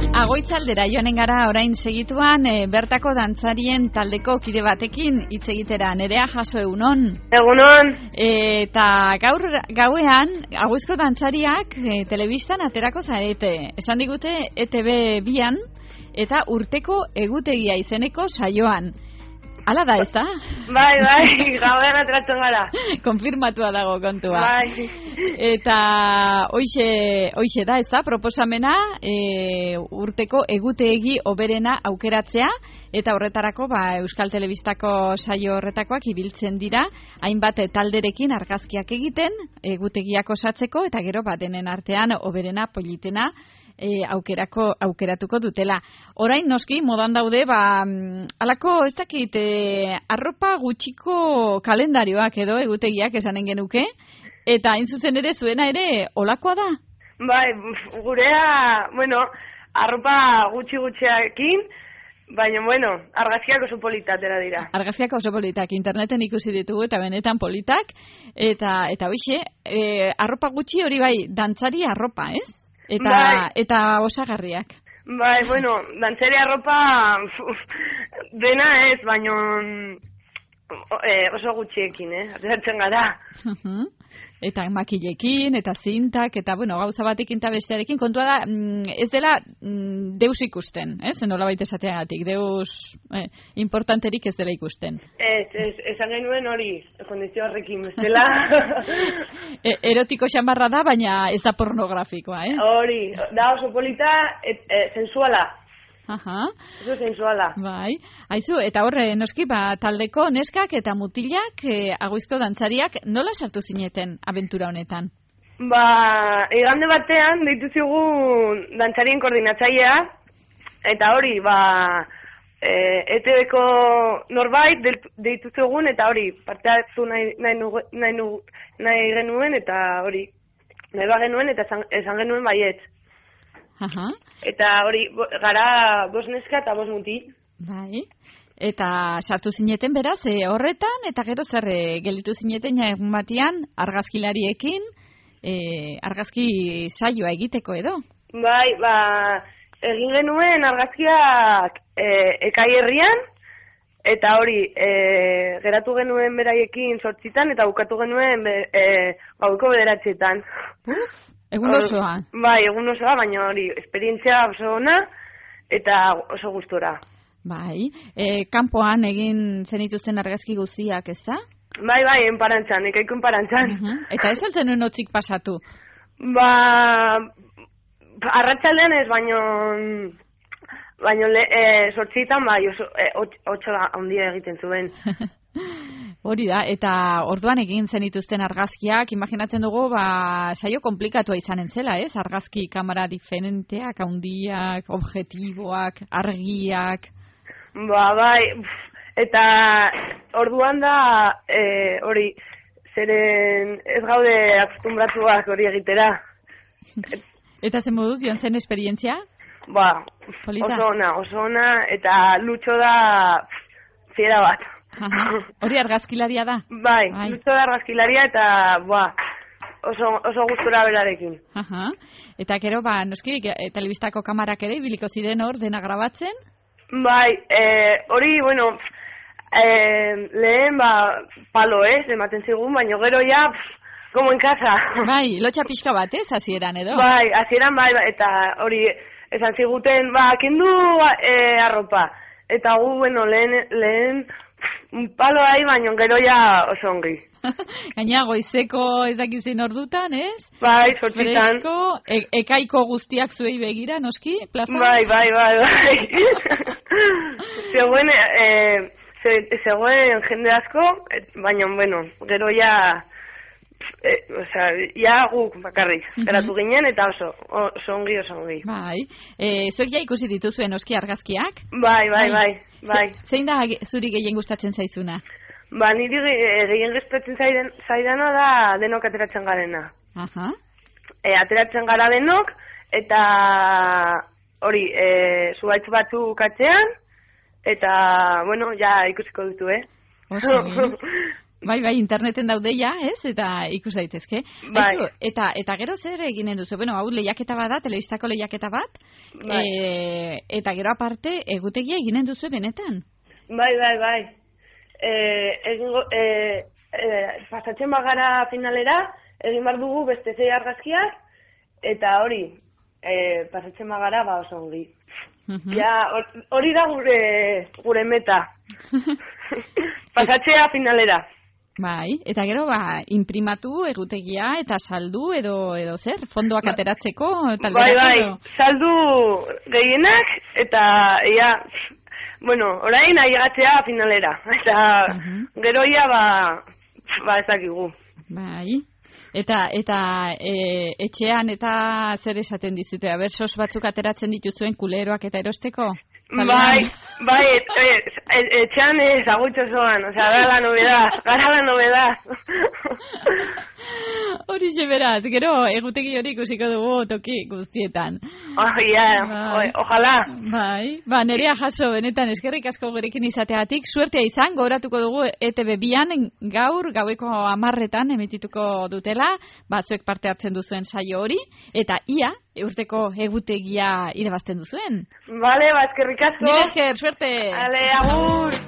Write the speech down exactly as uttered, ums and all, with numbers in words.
Agoitzaldera joanen gara orain segituan e, bertako dantzarien taldeko kide batekin hitz egitera. Nerea Jaso, egunon. Egunon. E, eta gaur gauean Agoizko dantzariak e, telebistan aterako zarete. Esan digute E T B bian eta urteko egutegia izeneko saioan. Hala da, ez da? Bai, bai, gauean ateratzen gara. Konfirmatua dago kontua. Bai. Eta hoixe, hoixe da, ez da, proposamena e, urteko egutegi hoberena aukeratzea, eta horretarako ba, Euskal Telebistako saio horretakoak ibiltzen dira, hainbat talderekin argazkiak egiten, egutegiak osatzeko, eta gero ba, denen artean hoberena, politena, E, aukerako, aukeratuko dutela. Orain noski modan daude, ba, alako ez dakit, e, arropa gutxiko kalendarioak edo egutegiak esanen genuke, eta hain zuzen ere zuena ere olakoa da? Bai, gurea, bueno, arropa gutxi gutxiakin, baina, bueno, argazkiak oso politatera dira. Argazkiak oso politak, interneten ikusi ditugu eta benetan politak, eta, eta hoxe, e, arropa gutxi hori bai, dantzari arropa, ez? Eta, bai. Eta osagarriak. Bai, bueno, dantzari arropa dena ez, baino eh, oso gutxiekin, eh? Ateratzen gara. Eta makilekin, eta zintak, eta bueno, gauza batekin eta bestearekin, kontua da, ez dela deus ikusten, ez? Nola baita esateagatik, deus eh, importanterik ez dela ikusten. Ez, ez, esan genuen hori, kondizio horrekin, bestela. e, erotiko xamarra da, baina ez da pornografikoa, eh? Hori, da oso polita, et, et, sensuala. Aha. Eso sensuala. Bai. Aizu, eta horre, noski, ba, taldeko neskak eta mutilak, e, Agoizko dantzariak, nola sartu zineten abentura honetan? Ba, igande batean, deitu zigun dantzarien koordinatzailea, eta hori, ba, e, E T Bko norbait deitu zigun, eta hori, parte hartu nahi, nahi, nugu, nahi, nugu, nahi genuen, eta hori, nahi ba genuen, eta esan, esan genuen baiet. Aha. Eta hori, gara bos neska eta bos muti. Bai. Eta sartu zineten beraz, e, horretan, eta gero zer e, gelditu zineten egun batean argazkilariekin, e, argazki saioa egiteko edo? Bai, ba, egin genuen argazkiak e, Ekai herrian, eta hori, e, geratu genuen beraiekin sortzitan, eta bukatu genuen be, e, gaueko bederatzietan. Egun osoa? Bai, egun osoa, baina hori, esperientzia oso ona eta oso gustora. Bai, e, kanpoan egin zenituzten argazki guztiak, ez da? Bai, bai, enparantzan, ekaiko enparantzan. Uh -huh. Eta ez altzen nuen otzik pasatu? Ba, arratsaldean ez, baino, baino le, e, sortzitan, bai, oso, e, otxo handia egiten zuen. Hori da, eta orduan egin zenituzten argazkiak, imaginatzen dugu, ba, saio komplikatua izanen zela, ez? Argazki kamera diferenteak, handiak, objektiboak, argiak. Ba, bai, eta orduan da, e, hori, zeren ez gaude akustumbratuak hori egitera. Eta zen moduz, joan zen esperientzia? Ba, Polita? Oso ona, oso ona, eta Lutxo da fiera bat. Aha. Hori argazkilaria da? Bai, Bai. Lutxo da argazkilaria eta ba, oso, oso gustura berarekin. Aha. Eta gero, ba, noski, telebistako kamarak ere ibiliko ziren hor dena grabatzen? Bai, e, hori, bueno, e, lehen, ba, palo ez, ematen zigun, baina gero ja, pff, como en casa. Bai, lotxa pixka bat ez, hasieran edo? Bai, hasieran bai, eta hori, esan ziguten, ba, kendu e, arropa. Eta gu, bueno, lehen, lehen, un palo ahi, baina gero ja oso ongi. Gaina goizeko ez dakizin ordutan, ez? Bai, sortzitan. Fresko, e ekaiko guztiak zuei begira, noski, plazan? Bai, bai, bai, bai. Zegoen, e, ze, zegoen jende asko, baina, bueno, gero ja, e, osea, ja guk bakarrik, geratu ginen, eta oso, oso ongi, oso ongi. Bai, e, zuek ja ikusi dituzuen noski argazkiak? Bai, bai, bai, bai. Zein da zuri gehien gustatzen zaizuna? Ba, niri gehien gustatzen zaidana da denok ateratzen garena. Aha. E, ateratzen gara denok, eta hori, e, zuaitz batzuk atzean, eta, bueno, ja ikusiko dutu, eh? Oso, Bai, bai, interneten daudeia, ez? Eta ikus daitezke. Bai. Aizu, eta, eta gero zer eginen duzu? Bueno, hau lehiaketa bat da, telebistako lehiaketa bat. Bai. E, eta gero aparte, egutegia eginen duzu benetan. Bai, bai, bai. E, egingo, e, e, pasatzen bagara finalera, egin behar dugu beste zei argazkiak, eta hori, e, pasatzen bagara, ba oso ongi. Uh-huh. Ja, hori da gure, gure meta. Pasatzea finalera. Bai, eta gero, ba, imprimatu egutegia eta saldu edo edo zer, fondoak ba, ateratzeko, talderako. Bai, bai, edo? saldu gehienak, eta, ia, bueno, orain ailegatzea finalera. Eta uh-huh. gero ia, ba, ba ezakigu. Bai, eta, eta e, etxean eta zer esaten dizute, aber, sos batzuk ateratzen dituzuen kuleroak eta erosteko? Bai, bai, et, et, et, etxean ez agutxo zoan, osea, gara la novedad, gara la novedad. Hori beraz, gero egutegi hori ikusiko dugu toki guztietan. Oh, yeah. Bai. O, ojalá. Bai, ba, Nerea Jaso, benetan eskerrik asko gurekin izateatik, suertea izan, gogoratuko dugu E T B bian gaur, gaueko hamarretan emitituko dutela, batzuek parte hartzen duzuen saio hori, eta ia, urteko egutegia irabazten duzuen. Vale, ba, eskerrik asko. Mila esker, suerte. Ale, agur.